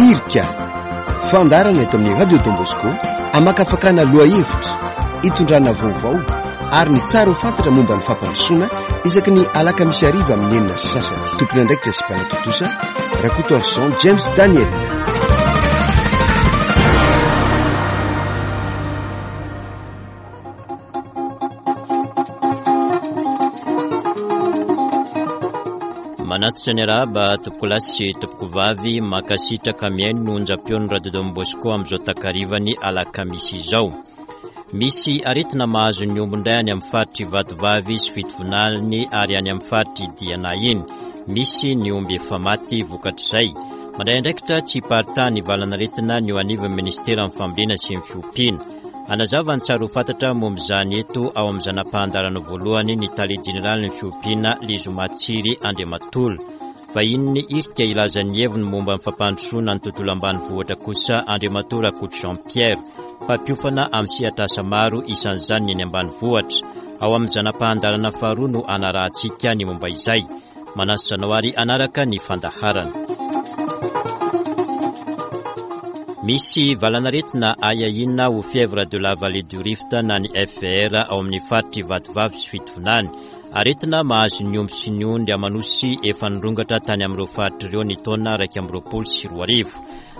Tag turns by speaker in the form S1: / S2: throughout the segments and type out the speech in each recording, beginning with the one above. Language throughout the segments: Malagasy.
S1: Irika, fandaharana eto amin'ny Radio Don Bosco hamakafakana lohahevitra, hitondrana vaovao ary ny tsara ho fantatra momba ny fampandrosoana isaky ny alakamisy hariva amin'ny 6:30. Tompon'andraikitra sy mpanatontosa, Rakotoarison James Daniel.
S2: Manatitra ny arahaba tompokolahy sy tompokovavy mankasitraka mihaino ny onjam-peon'ny Radio Don Bosco amin'izao takarivan'ny alakamisy izao. Misy aretina mahazo ny omby indray any amin'ny faritr'i Vatovavy sy Fitovinany ary any amin'ny faritr'i Diana iny. Misy ny omby efa maty vokatr'izay. Mandray andraikitra tsy hiparitahan'ny valan'aretina ny eo anivon'ny ministeran'ny fambolena sy ny fiompiana. Hanazava ny tsara ho fantatra momba izany eto ao amin'ny zana-pahandarana voalohany ny tale jeneralin'ny fiompiana Lezomatsiry Andriamatola. Vahinin'ny irika hilaza ny heviny momba ny fampandrosoana ny tontolo ambanivohitra kosa Andriamatoa Rakoto Jean Pierre, mpampiofana amin'ny sehatr'asa maro isan'izany ny eny ambanivohitra. Ao amin'ny zana-pahandarana faharoa no hanarahantsika ny momba izay. Manasa anao ary hanaraka ny fandaharana. Misy valanaretina ahiahiana ho fièvre de la vallée du Rift na ny FVR ao amin'ny faritr'i Vatovavy sy Fitovinany. Aretina mahazo ny omby sy ny ondry aman'osy efa nirongatra tany amin'ireo faritra ireo ny taona 2021.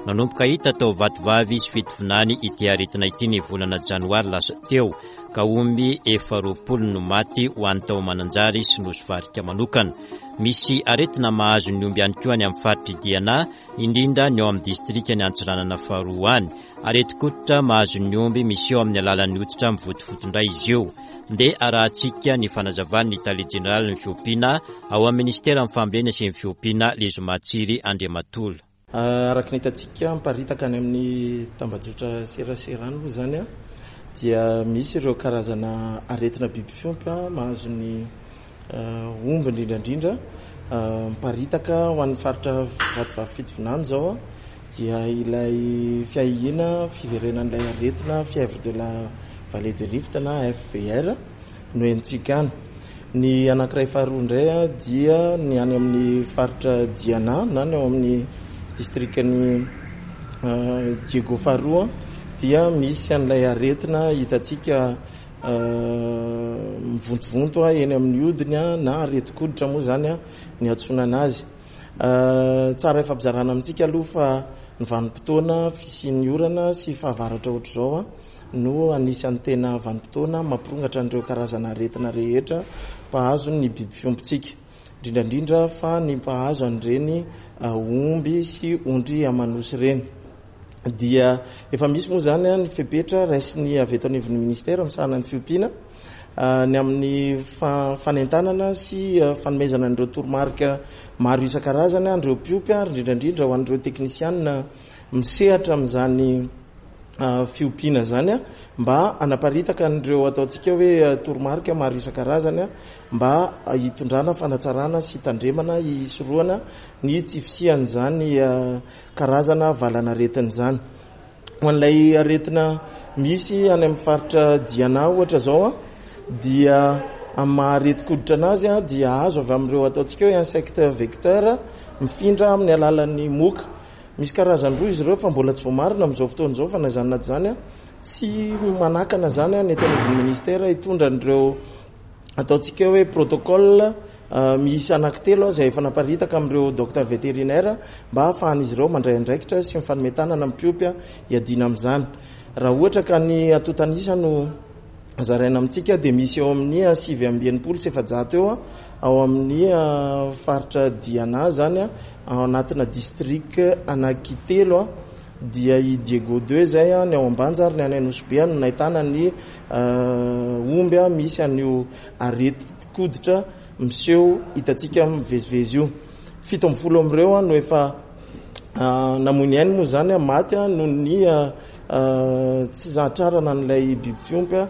S2: Nanomboka hita tao Vatovavy sy Fitovinany ity aretina ity ny volana janoary lasa teo. ka omby efa 20 no maty ho an'ny tao Mananjary sy Nosy Varika manokana. Misy aretina mahazo ny omby ihany koa any amin'ny faritr'i Diana, indrindra ny ao amin'ny distrikan'i Antsiranana faharoa any. Aretin-koditra mahazo ny omby miseho amin'ny alalan'ny hoditra mivotovoto indray izy io. Ndeha arahantsika ny fanazavan'ny tale jeneralin'ny fiompiana ao amin'ny minisiteran'ny fambolena sy ny fiompiana, Lezomatsiry Andriamatola.
S3: Araka ny hitantsika miparitaka any amin'ny tambajotra serasera any moa izany dia misy ireo karazana aretina biby fiompy mahazo ny omby indrindra indrindra miparitaka ho an'ny faritra Vatovavy Fitovinany izao dia ilay fiahiana fiverenan'ilay aretina fièvre de la vallée de Rift na FVR. no henontsika any. Ny anankiray faharoa indray dia ny any amin'ny faritra Diana na ny ao amin'ny distrikan'i Diego faharoa dia misy an'ilay aretina hitantsika mivontovonto eny amin'ny hodiny na aretin-koditra moa izany ny antsoina anazy. Tsara ifampizarana amintsika aloha fa ny vanim-potoana fisian'ny orana sy fahavaratra ohatr'izao no anisan'ny tena vanim-potoana mampirongatra an'ireo karazana aretina rehetra mpahazo ny biby fiompintsika, indrindra indrindra fa ny mpahazo an'ireny omby sy ondry aman'osy ireny. Dia efa misy moa izany ny fepetra raisin'ny avy eto anivon'ny ministera misahana ny fiompiana ny amin'ny fanentanana sy fanomezana an'ireo toromarika maro isan-karazany an'ireo mpiompy ary indrindra indrindra ho an'ireo teknisianina misehatra amin'izany fiompiana izany mba hanaparitaka an'ireo ataontsika hoe toromarika maro isan-karazany mba hitondrana fanatsarana sy hitandremana hisorohana ny tsy fisian'izany karazana valanaretina izany. Ho an'ilay aretina misy any amin'ny faritra Diana ohatra izao dia amin'ny maha aretin-koditra anazy dia azo avy amin'ireo ataontsika hoe insecte vecteur mifindra amin'ny alalan'ny moka. Misy karazany roa izy ireo fa mbola tsy voamarina amin'izao fotoana izao fa na izany na tsy izany tsy manakana izany ny eto anivon'ny ministera hitondra an'ireo ataontsika hoe protocole miisa anankitelo izay efa naparitaka amin'ireo docteur vétérinaire mba hahafahan'izy ireo mandray andraikitra sy mifanome tanana amin'ny mpiompy hiadiana amin'izany. Raha ohatra ka ny antontan'isa no zaraina amintsika dia misy eo amin'ny 469 eo ao amin'ny faritra Diana izany ao anatina district anankitelo dia i Diego deux izay ny ao Ambanja ary ny any Anosibe no nahitana ny omby misy an'io aretin-koditra miseho hitantsika mivezivezy io. 17 amin'ireo no efa namoy ny ainy moa izany, maty noho ny tsy nahatrarana an'ilay biby fiompy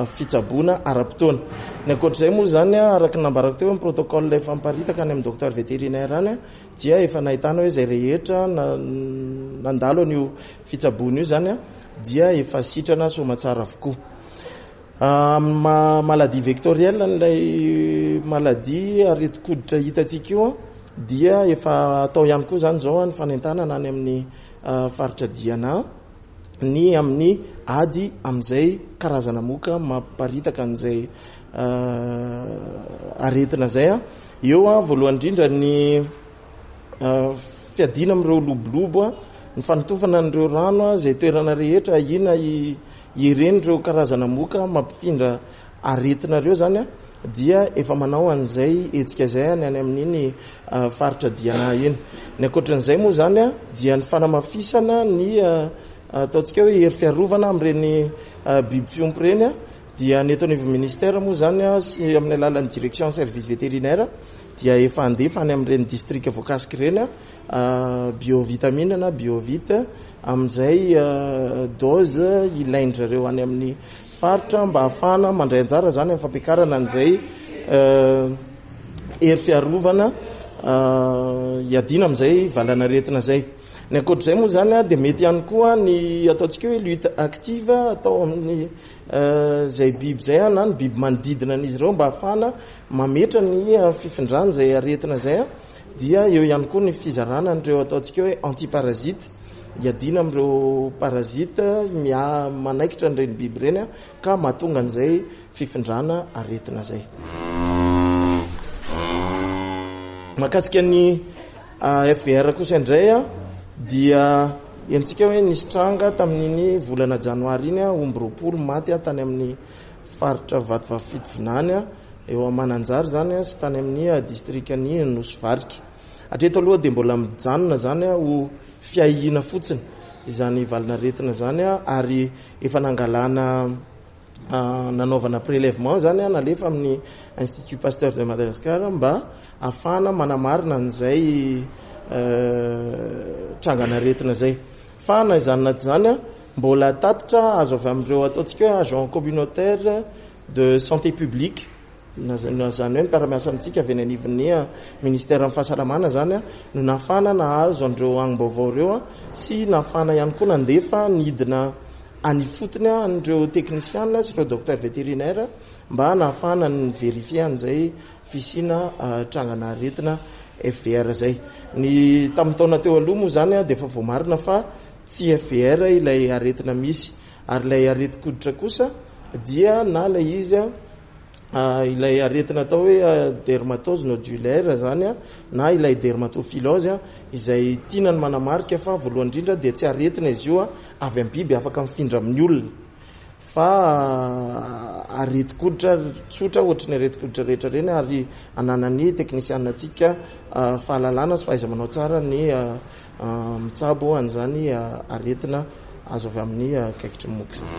S3: fitsaboana ara-potoana. Ny ankoatr'izay moa izany, araka ny nambarako teo, ny protocole efa miparitaka any amin'ny docteur vétérinaire any dia efa nahitana hoe izay rehetra nandalo an'io fitsaboana io izany dia efa sitrana soamatsara avokoa. Amin'ny maha maladie vectorielle an'ilay maladie aretin-koditra hitantsika io dia efa atao ihany koa izany izao ny fanentanana any amin'ny faritra Diana ny amin'ny ady amin'izay karazana moka mampiparitaka an'izay aretina izay. Eo voalohany indrindra ny fiadiana amin'ireo lobolobo, ny fanotofana an'ireo rano izay toerana rehetra ahiana hiren'ireo karazana moka mampifindra aretina ireo izany dia efa manao an'izay hetsika izay any any amin'iny faritra Diana iny. Ny ankoatran'izay moa izany dia ny fanamafisana ny ataontsika hoe hery fiarovana amin'ireny biby fiompy ireny dia ny eto anivon'ny ministère moa izany sy amin'ny alalan'ny direction service vétérinaire dia efa handefa any amin'ireny distrika voakasika ireny biovitamine na biovite amin'izay dose ilain-dry zareo any amin'ny faritra mba hahafahana mandray anjara izany amin'ny fampiakarana an'izay hery fiarovana hiadiana amin'izay valanaretina izay. Ny ankoatr'izay moa izany dia mety ihany koa ny ataontsika hoe lutte active atao amin'ny izay biby izay na ny biby manodidina an'izy ireo mba hahafahana mametra ny fifindran'izay aretina izay. Dia eo ihany koa ny fizarana an'ireo ataontsika hoe antiparasite, hiadiana amin'ireo parasite manaikitra an'ireny biby ireny ka mahatonga an'izay fifindrana aretina izay. Mahakasika ny FVR kosa indray dia henontsika hoe nisy tranga tamin'iny volana janoary iny, omby 20 maty tany amin'ny faritra Vatovavy Fitovinany. Eo Mananjary izany sy tany amin'ny distrikan'i Nosy Varika. Hatreto aloha dia mbola mijanona izany ho fiahiana fotsiny izany valin'aretina izany ary efa nangalana nanaovana prélèvement izany nalefa amin'ny Institut Pasteur de Madagascar mba hahafahana manamarina an'izay trangan'aretina izay. Fa na izany na tsy izany mbola tatitra azo avy amin'ireo ataontsika hoe agent communautaire de santé publique, na izany hoe ny mpiara-miasa amintsika avy eny anivon'ny ministeran'ny fahasalamana izany no nahafahana nahazo an'ireo angom-baovao ireo sy nahafahana ihany koa nandefa nidina any ifotony an'ireo teknisiana sy ireo docteur vétérinaire mba nahafahana ni-verifier an'izay fisiana trangana aretina FVR izay. Ny tamin'ny taona teo aloha moa izany dia efa voamarina fa tsy FVR ilay aretina misy. Ary ilay aretin-koditra kosa dia na ilay izy ilay aretina atao hoe dermatose nodulaire izany na ilay dermatophilose izay tiana ny manamarika fa voalohany indrindra dia tsy aretina izy io avy amin'ny biby afaka mifindra amin'ny olona fa aretin-koditra tsotra ohatry ny aretin-koditra rehetra ireny ary ananan'ny teknisianina antsika fahalalana sy fahaiza-manao tsara ny Mitsabo an'izany aretina azo avy amin'ny kaikitry ny moka izany.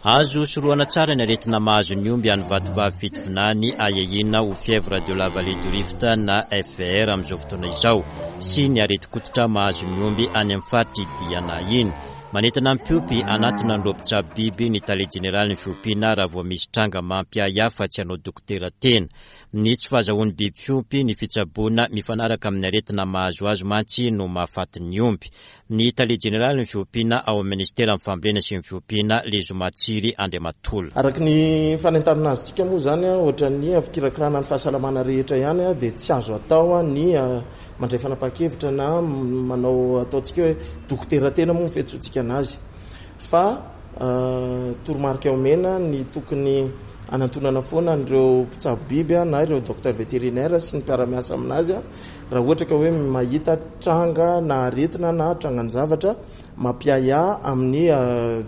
S2: Azo sorohana tsara ny aretina mahazo ny omby any Vatovavy Fitovinany ahiahiana ho fièvre de la vallée du Rift na FVR amin'izao fotoana izao sy ny aretin-koditra mahazo ny omby any amin'ny faritr'i Diana iny. Manentana ny mpiompy hanatona an'ireo mpitsabo biby ny tale jeneralin'ny fiompiana raha vao misy tranga mampiahiahy fa tsy hanao dokotera tena. Ny tsy fahazahoan'ny biby fiompy ny fitsaboana mifanaraka amin'ny aretina mahazo azy mantsy no mahafaty ny omby. Ny tale jeneralin'ny fiompiana ao amin'ny minisiteran'ny fambolena sy ny fiompiana, Lezoma Tsiry Andriamatola.
S3: Araka ny fanentanana azontsika moa izany, ohatran'ny fikirakirana ny fahasalamana rehetra ihany dia tsy azo atao ny mandray fanapahan-kevitra na manao ataontsika hoe dokotera tena moa ny fiantsoantsika anazy. Fa toromarika omena ny tokony hanantonana foana an'ireo mpitsabo biby na ireo docteur vétérinaire sy ny mpiara-miasa aminazy raha ohatra ka hoe mahita tranga na aretina na trangan-javatra mampiahiahy amin'ny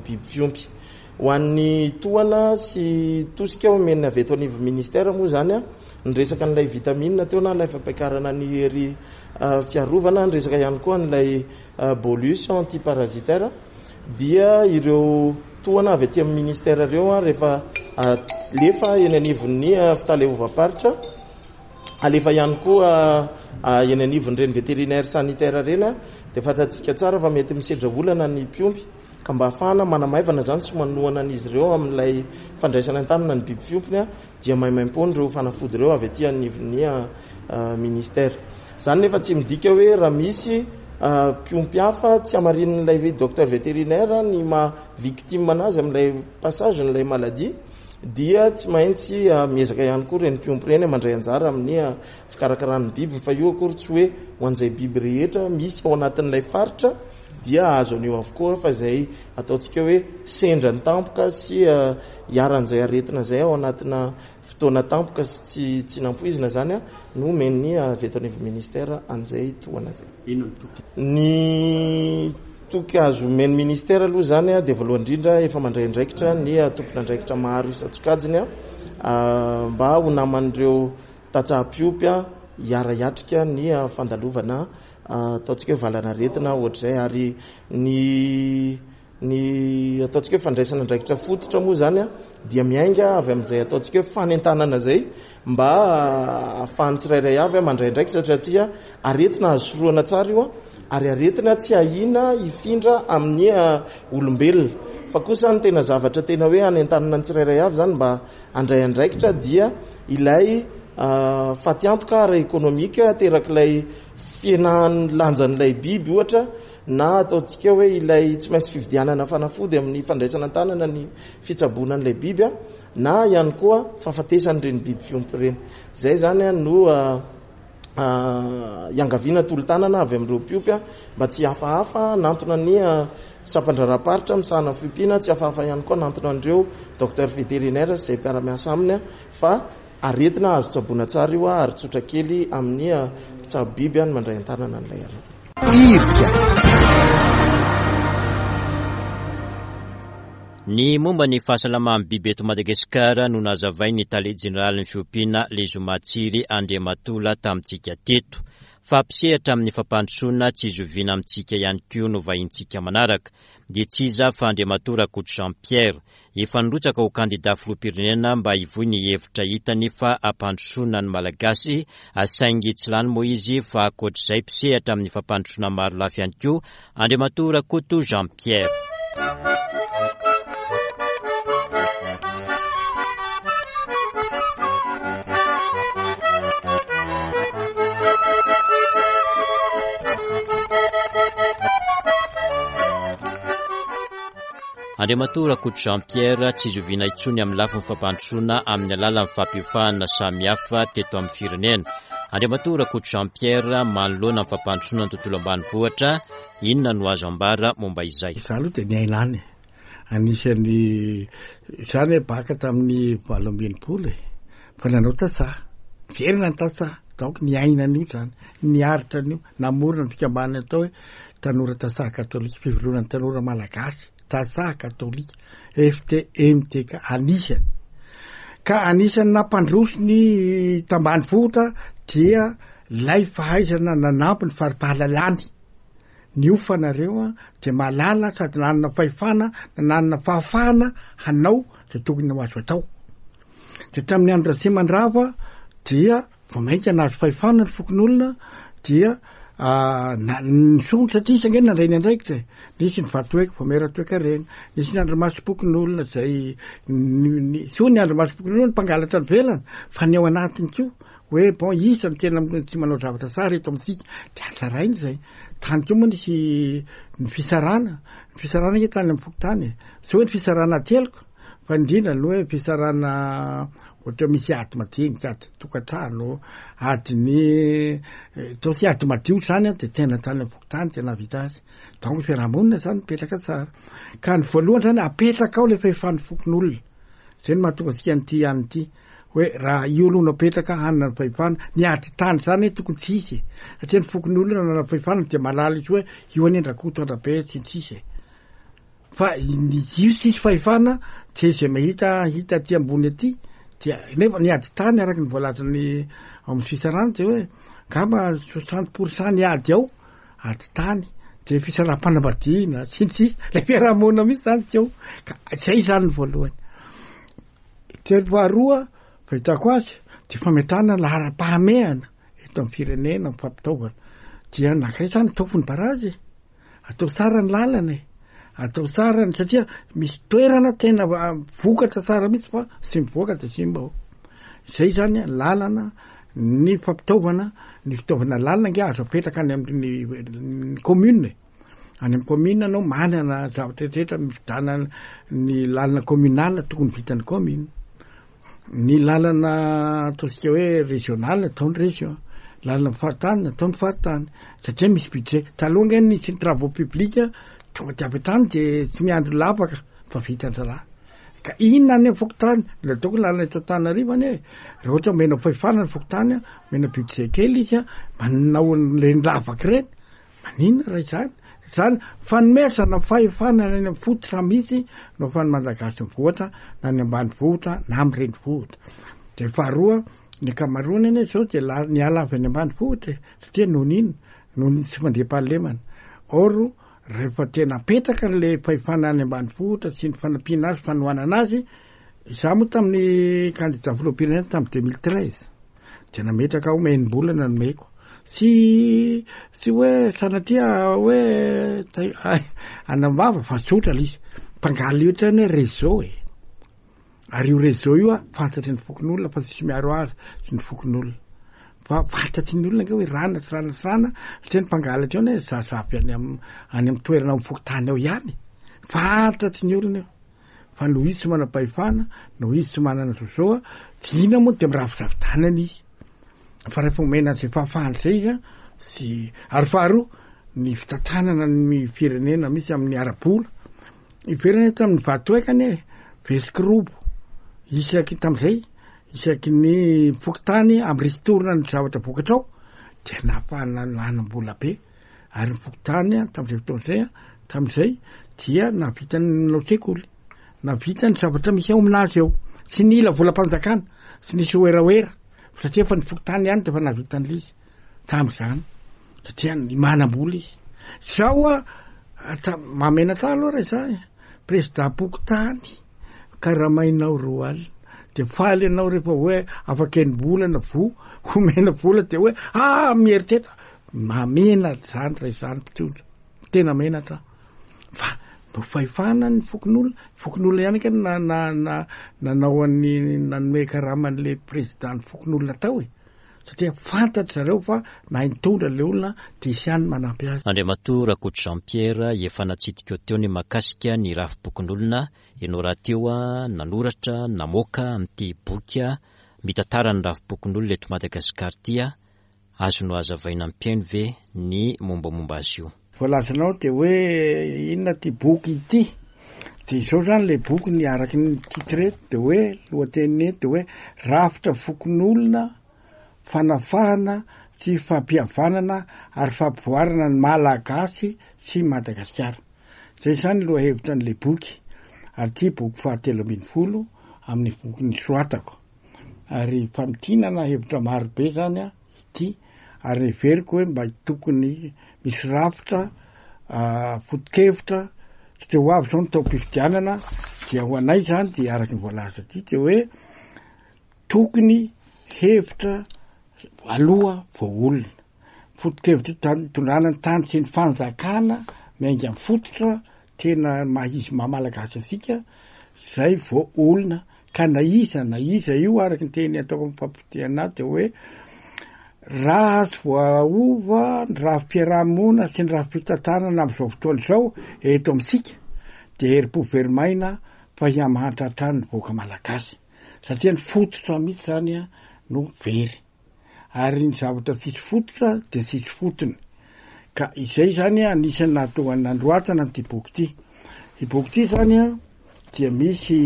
S3: biby fiompy. Ho an'ny tohana sy tosika omen'ny avy eto anivon'ny ministère moa izany, ny resaka an'ilay vitamine teo na ilay fampiakarana ny hery fiarovana, ny resaka ihany koa an'ilay bolus antiparasitaire dia ireo tohana avy aty amin'ny ministère ireo rehefa alefa eny anivon'ny fitaleovam-paritra, alefa ihany koa eny anivon'ireny vétérinaire sanitaire ireny dia fantatsika tsara fa mety misedra olana ny mpiompy ka mba hahafahana manamaivana izany sy manohana an'izy ireo amin'ilay fandraisana an-tanana ny biby fiompiny dia maimaimpoana ireo fanafody ireo avy aty anivon'ny ministère. Izany nefa tsy midika hoe raha misy mpiompy hafa tsy hamarinin'ilay docteur vétérinaire ny maha victime anazy amin'ilay passage n'ilay maladie dia tsy maintsy miezaka ihany koa ireny mpiompy ireny mandray anjara amin'ny fikarakarana ny biby fa io akory tsy hoe ho an'izay biby rehetra misy ao anatin'ilay faritra dia azo an'io avokoa fa izay ataontsika hoe sendra ny tampoka sy iharan'izay aretina izay ao anatina fotoana tampoka sy tsy tsy nampoizina izany no omen'ny avy eto anivon'ny ministera an'izay tohana izay.
S2: Inona ny toky?
S3: Ny toky azo omen'ny ministera aloha izany dia voalohany indrindra efa mandray andraikitra ny tompon'andraikitra maro isan-tsokajiny mba ho naman'ireo tantsaha mpiompy hiara-hiatrika ny fandalovana ataontsika hoe valanaretina ohatr'izay ary ny Ny ataontsika hoe fandraisana andraikitra fototra moa izany dia miainga avy amin'izay ataontsika hoe fanentanana izay mba ahafahan'ny tsirairay avy mandray andraikitra satria aretina azo sorohana tsara io ary aretina tsy ahiana hifindra amin'ny olombelona. Fa kosa ny tena zavatra tena hoe hanentanana ny tsirairay avy izany mba handray andraikitra dia ilay fatiantoka ara-ekonomika aterak'ilay fihenan'ny lanjan'ilay biby ohatra na ataontsika hoe ilay tsy maintsy fividianana fanafody amin'ny fandraisana an-tanana ny fitsaboana an'ilay biby na ihany koa fahafatesan'ireny biby fiompy ireny. Izay izany no iangaviana tolo-tanana avy amin'ireo mpiompy mba tsy hihafahafa hanantona ny sampan-draharaham-paritra misahana ny fiompiana, tsy hihafahafa ihany koa hanantona an'ireo docteur vétérinaire sy izay mpiara-miasa aminy fa Aretina azo tsaboina tsara io ary tsotra kely amin'ny mpitsabo biby ny mandray an-tanana an'ilay aretina.
S1: Irika.
S2: Ny momba ny fahasalaman'ny biby eto Madagasikara no nazavain'ny tale jeneralin'ny fiompiana Lezomatsiry Andriamatola tamintsika teto. Fa mpisehatra amin'ny fampandrosoana tsy zoviana amintsika ihany koa no vahintsika manaraka. Dia tsy iza fa Andriamatoa Rakoto Jean Pierre. Efa nirotsaka ho kandida filoham-pirenena mba hivoy ny hevitra hitany fa hampandrosoana ny Malagasy, saingy tsy lany moa izy fa ankoatr'izay mpisehatra amin'ny fampandrosoana maro lafy ihany koa Andriamatoa Rakoto Jean Pierre. Andriamatoa Rakoto Jean Pierre, tsy zoviana intsony amin'ny lafiny fampandrosoana amin'ny alalan'ny fampiofahana samihafa teto amin'ny firenena. Andriamatoa Rakoto Jean Pierre, manoloana ny fampandrosoana ny tontolo ambanivohitra, inona no azo ambara momba izay?
S4: Izaho aloha dia niaina any e. Anisan'ny, izaho anie baka tamin'ny 68 e, fa nanao tantsaha, niverina ny tantsaha, donc niaina an'io izany, niaritra an'io, namorona ny fikambanana atao hoe Tanora Tantsaha Katolika, Fivondronan'ny Tanora Malagasy Tantsaha Katolika, FTMTK, anisany. Ka anisan'ny nampandroso ny tambanivohitra dia lay fahaizana nanampy ny fari-pahalalany. Niofana reo dia mahalala sady nanana fahefana na nanana fahafahana hanao izay tokony ho azo atao. Dia tamin'ny andro Ratsimandrava dia Vao mainka nahazo fahefana ny fokonolona dia nisondrotra satria izy ange nandray ny andraikitra e. Nisy ny vatoeko, vaomiera toekarena, nisy ny andrimasom-pokonolona izay tsy hoe ny andrimasom-pokonolona no mpangalatra ny velana fa ny ao anatiny koa hoe bon iza no tena tsy manao zavatra tsara eto amintsika dia hatsaraina izay. Tany koa moa nisy ny fisarana, ny fisarana ange tany amin'ny fokontany e. Tsy hoe ny fisarana ateloka fa indrindra ny hoe fisarana Ohatra hoe misy ady madinika, ady tokantrano, ady ny ataontsika hoe ady madio zany an, de tena tany amin'ny fokontany tena nahavita azy. Donc ny fiarahamonina zany mipetraka tsara. Ka ny voalohany zany apetraka ao le fahefan'ny fokonolona. Zay no mahatonga antsika an'ity ihany ity hoe raha io aloha no apetraka hanana ny fahefana, ny ady tany zany hoe tokony tsy hisy e. Satria ny fokonolona nanana fahefana dia mahalala izy hoe io anie Rakoto Andrabe sy ny sisa e. Fa ny io tsisy fahefana dia izay mahita hita aty ambony aty dia nefa ny ady tany araka ny voalazan'ny ao amin'ny fitsarana dia hoe angamba soixante pour cent ny ady ao ady tany dia fisaraham-panambadiana sy ny sisa ilay fiarahamonina mihitsy zany tsy ao ka zay zany ny voalohany. Telo faharoa fahitako azy dia fametrahana laharam-pahamehana eto amin'ny firenena amin'ny fampitaovana dia anankiray zany ataoko ny barazy e. Atao tsara ny lalana e! Atao tsara ny satria misy toerana tena vokatra tsara mihitsy fa tsy mivoaka de simba ao. Zay zany lalana, ny fampitaovana, ny fitaovana lalana ange azo apetraka any amin'ny ny commune e. Any amin'ny commune anao manana zavatra rehetra mividianana ny lalana communale tokony vitan'ny commune. Ny lalana ataontsika hoe régional ataony région, lalana faritany ataony faritany satria misy budget. Taloha ange nisy ny travaux publics tonga de avy hatrany de tsy miandry lavaka fa vitan-draharaha. Ka inona any amin'ny fokontany, ny ataoko lalana eto Antananarivo anie, raha ohatra omena fahefana ny fokontany, omena budget kely izy, manao an'ireny lavaka ireny, Maninona raha izany? Izany fanomezana fahefana any amin'ny fototra mihitsy no ahafahan'ny Malagasy mivoatra na any ambanivohitra na amin'ny renivohitra. Dia faharoa, ny ankamaroany anie izao dia la- niala avy any ambanivohitra e, satria noho ny inona? Noho ny tsy fandriampahalemana. Or, rehefa tena apetraka ilay fahefana any ambanivohitra sy ny fanampiana azy, fanohanana azy, izaho moa tamin'ny kandida filoham-pirenena tamin'ny 2013, Dia nametraka aho enim-bolana nomeko. Tsy tsy hoe sanatria hoe anam-bava fa tsotra ilay izy. Mpangaly ohatrany hoe réseau e. Ary io réseau io a, fantatry ny fokonolona fa tsisy miaro azy sy ny fokonolona. Fa fantatry ny olona ange hoe rana sy rana sy rana, satria ny mpangalatra eo anie zaza avy any am- any amin'ny toerana amin'ny fokontany ao ihany. Fantatry ny olona io. Fa noho izy tsy manam-pahefana, noho izy tsy manana zozoa, dia inona moa dia miravidravi-tanana izy. Fa rehefa omena an'izay fahafahana izay izy, sy ary faharoa, ny fitantanana ny firenena misy amin'ny ara-bola. Iverina eto amin'ny vatoeka anie, vesikirobo, isaky tamin'izay, isaky ny fokontany amin'ny ristourne ny zavatra vokatra ao, dia nahafahana nanam-bola be. Ary ny fokontany tamin'izay fotoana izay, tamin'izay dia nahavita nanao sekoly, nahavita ny zavatra misy ao aminazy ao. Tsy nila volam-panjakana, tsy nisy werawera, satria efa ny fokontany ihany dia efa nahavita an'ilay izy tamin'izany, satria ny manam-bola izy. Izao a, mahamenatra ahy aloha raha izaho e, prezidam-pokontany. karamainao 20 alina de faly ianao rehefa hoe afaka enim-bolana vo omena vola de hoe ah mieritreritra mahamenatra zany raha izany mpitondra tena menatra fa mba fahefana ny fokonolona fokonolona ihany ka na na na nanao an'ny nanome karaman'le président ny fokonolona tao e satria fantatry zareo fa nahay nitondra le olona de hisy ihany manampy azy.
S2: Andriamatoa Rakoto Jean Pierre, efa natsidika teo ny mahakasika ny rafi-pokonolona, ianao rahateo nanoratra, namoaka an'ity boky mitantara ny rafi-pokonolona eto Madagasikara ity, azonao hazavaina amin'ny mpihaino ve ny mombamomba azy io?
S4: Voalazanao dia hoe inona ity boky ity? Dia izao izany ilay boky ny araky ny titre eto dia hoe lohateniny eto dia hoe rafitra fokonolona fanafahana sy fampihavanana ary fampivoarana ny Malagasy sy Madagasikara. Izay izany lohahevitra an'ilay boky ary ity boky fahatelo 12 amin'ny boky nosoratako. Ary famintinana hevitra marobe izany an. ity ary heveriko hoe mba tokony misy rafitra foto-kevitra satria ho avy zao ny taom-pifidianana dia ho anay zany dia araky ny voalaza ity dia hoe tokony hevitra aloha vao olona foto-kevitra itondrana ny tany sy ny fanjakana miainga amin'ny fototra tena maha izy maha malagasy antsika zay vao olona ka na iza na iza io araka ny teny ataoko amin'ny fampitehana ahy de hoe raha tsy voaova ny rafi-piarahamonina sy ny rafi-pitantanana amin'izao fotoana izao eto amintsika de herim-po very maina fa hihamahantra hatrany ny vahoaka malagasy satria ny fototra mihitsy zany a no very. ary ny zavatra tsisy fototra dia tsisy fotony. Ka izay zany anisan'ny nahatonga ny nandroatana an'ity boky ity. Ity boky ity zany an, dia misy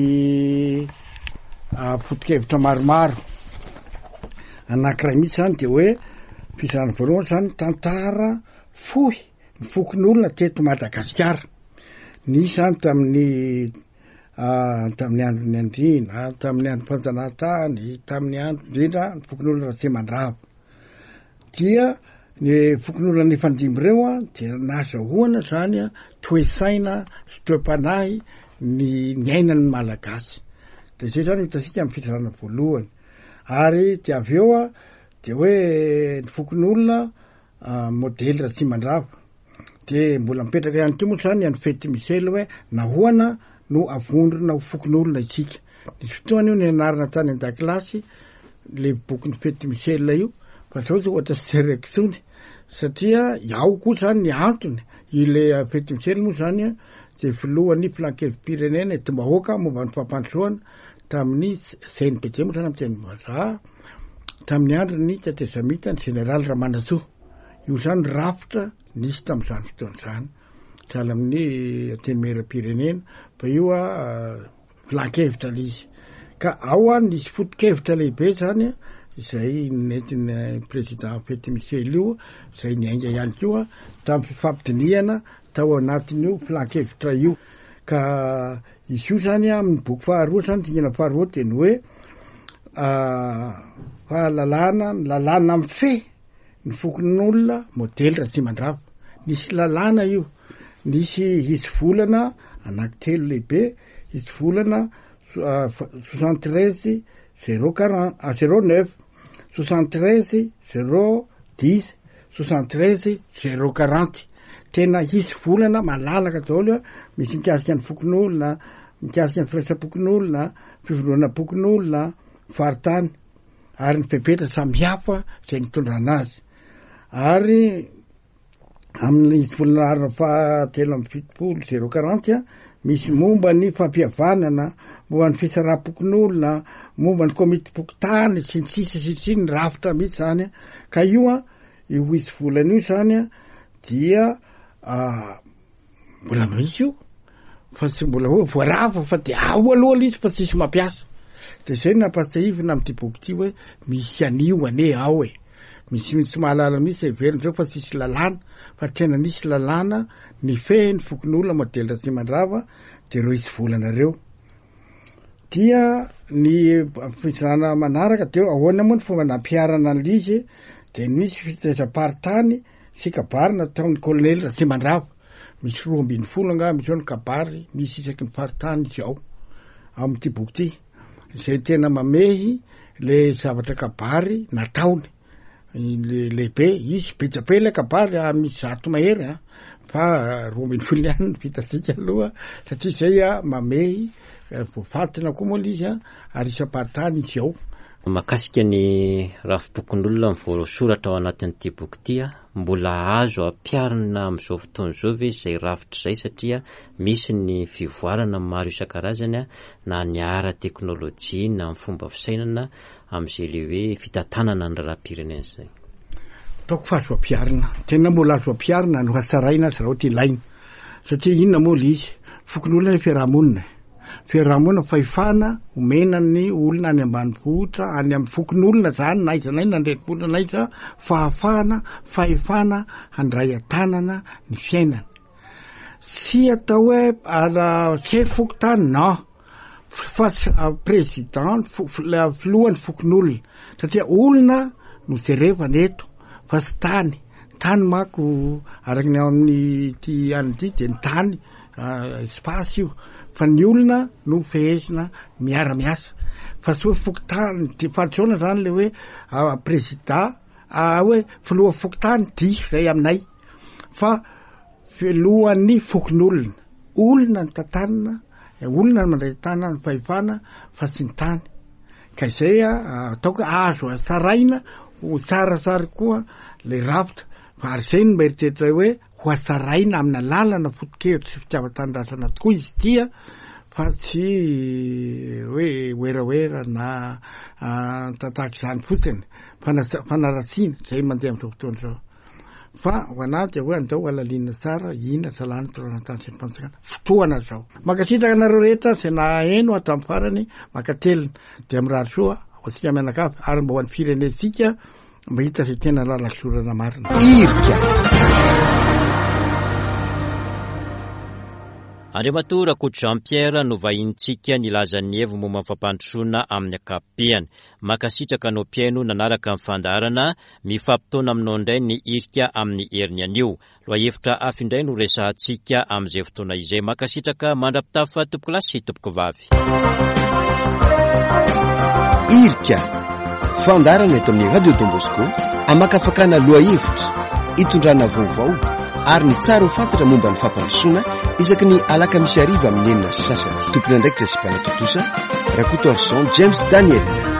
S4: foto-kevitra maromaro. Anankiray mihitsy zany dia hoe fizarana voalohany zany tantara fohy ny fokonolona teto Madagasikara. Nisy zany tamin'ny tamin'ny andron'ny andriana, tamin'ny andron'ny fanjanahantany, tamin'ny andro indrindra ny fokonolona Ratsimandrava. Dia ny fokonolona nifandimby ireo an, dia nahazahoana zany an, toe-tsaina sy toe-panahy ny niainan'ny Malagasy. De zay zany hitantsika amin'ny fizarana voalohany. Ary dia avy eo an, dia hoe ny fokonolona modely Ratsimandrava. De mbola mipetraka ihany koa moa zany an'i Fety Michel hoe nahoana no avondrona ho fokonolona isika. Nisy fotoana io nianarana tany an-dakilasy le bokin'i Fety Michel io fa zao zao ohatra tsy jereko intsony satria ao koa zany ny antony ile Fety Michel moa zany de filohan'ny filan-kevi-pirenena entim-bahoaka momba ny fampandrosoana. tamin'ny CNPD moa zany amin'ny teny vazaha, tamin'ny andron'ny tetezamita ny jeneraly Ramanantsoa. Io zany rafitra nisy tamin'izany fotoana izany. Sahala amin'ny antenimieram-pirenena fa io a filan-kevitra le izy. Ka ao a nisy foto-kevitra lehibe zany izay nentin'ny président Fety Michel io izay niainga ihany koa tamin'ny fifampidinihana tao anatin'io filan-kevitra io. Ka izy io zany amin'ny boky faharoa zany dingana faharoa dia ny hoe fahalalana ny lalàna mifehy ny fokonolona modely Ratsimandrava. Nisy lalàna io, nisy hitsivolana anankitelo lehibe, hitsivolana 73 zéro quarante, zéro neuf, 73 zéro dix, 73 zéro quarante. Tena hisy volana malalaka daholo misy mikasika ny fokonolona, mikasika ny firaisam-pokonolona, fivondronam-pokonolona, faritany. ary ny fepetra samihafa izay nitondrana azy. Ary amin'ny volana faha 73 zéro quarante misy momba ny fampihavanana, momba ny fitsaram-pokonolona, momba ny komitim-pokontany sy ny sisa sy ny sisa, ny rafitra mihitsy zany. Ka io an, io hisy volana io zany an, dia Mbola misy io fa tsy mbola hoe voarava fa de ao aloha le izy fa tsisy mampiasa. De zay no nampahatsiahivina amin'ity boky ity hoe misy an'io anie ao e. Misy tsy mahalala mihitsy heveriny zao fa tsisy lalàna fa tena nisy lalàna nifehy ny fokonolona modely Ratsimandrava de reo hisy volana reo. Dia ny fizarana manaraka de ahoana moa ny fomba nampiharana an'le izy de nisy fitaizam-paritany sy kabary nataon'ny kolonely Ratsimandrava, misy 12 angaha misy eo ny kabary misy isaky ny faritany izy ao amin'ity boky ity, izay tena mamehy le zavatra kabary nataony le lehibe, izy be dia be ilay kabary a, misy 100 mahery a, fa 12 ihany no vitantsika aloha satria izay a mamehy voafantina koa moa le izy a, ary isam-paritany izy ao.
S2: Mahakasika ny rafi-pokonolona voasoratra ao anatin'ity boky ity, mbola azo ampiharina amin'izao fotoana izao ve izay rafitra izay satria misy ny fivoarana maro isan-karazany na ny ara-teknolojia na ny fomba fisainana amin'izay ilay hoe fitantanana ny raharaham-pirenena izay?
S4: Ataoko fa azo ampiharina, tena mbola azo ampiharina no hatsaraina azy raha ohatra ilaina satria inona moa ilay izy, fokonolona ny fiaraha-monina e. Fiarahamonina, fahefana omena ny olona any ambanivohitra, any amin'ny fokonolona zany na aiza na aiza na an-drenivohitra na aiza, fahafahana, fahefana handray an-tanana ny fiainany. Tsy atao hoe ala chef fokontany, non, fa président, filohan'ny fokonolona, satria olona no jerevana eto fa tsy tany. Tany manko araka ny ao amin'ity any ity dia ny tany espace io fa ny olona no fehezina miara-miasa fa tsy hoe fokontany de fahadisoana zany le hoe prezida hoe filoha fokontany diso zay aminay fa filohan'ny fokonolona, olona ny tantanina, olona no mandray tanana ny fahefana fa tsy ny tany. Ka izay ataoko hoe azo hatsaraina ho tsaratsara koa le rafitra fa ary izay no mieritreritra hoe ho hatsaraina amina lalana foto-kevitra sy fitiavan-tanindrazana tokoa izy ity fa tsy hoe werawera na tataka izany fotsiny fanaratsiana izay mandeha amin'izao fotoana izao. Fa ho anah dia hoe andao halalinina tsara ina salany torana-tany sy ny fanjakana. Fotoana izao. Mankasitraka anareo rehetra izay naheno hatramin'ny farany, mankatelina. Dia mirary soa ho antsika mianakavy ary mba ho an'ny firenentsika mba hita izay tena lalan-kizorana marina.
S1: Irika.
S2: Andriamatoa Rakoto Jean Pierre no vahinintsika nilaza ny heviny momba ny fampandrosoana amin'ny ankapobeny. Mankasitraka anao mpihaino nanaraka ny fandaharana, mifampitaona aminao indray ny hirika amin'ny heriny anio. Lohahevitra hafa indray no resahantsika amin'izay fotoana izay. Mankasitraka mandra-pitafa tompokolahy sy tompokovavy.
S1: Hirika, fandaharana eto amin'ny Radio Don Bosco, hamakafakana lohahevitra, hitondrana vaovao ary ny tsara ho fantatra momba ny fampandrosoana isaky ny alakamisy hariva amin'ny 6:30. Tompon'andraikitra sy mpanatontosa, Rakotoarison James Daniel.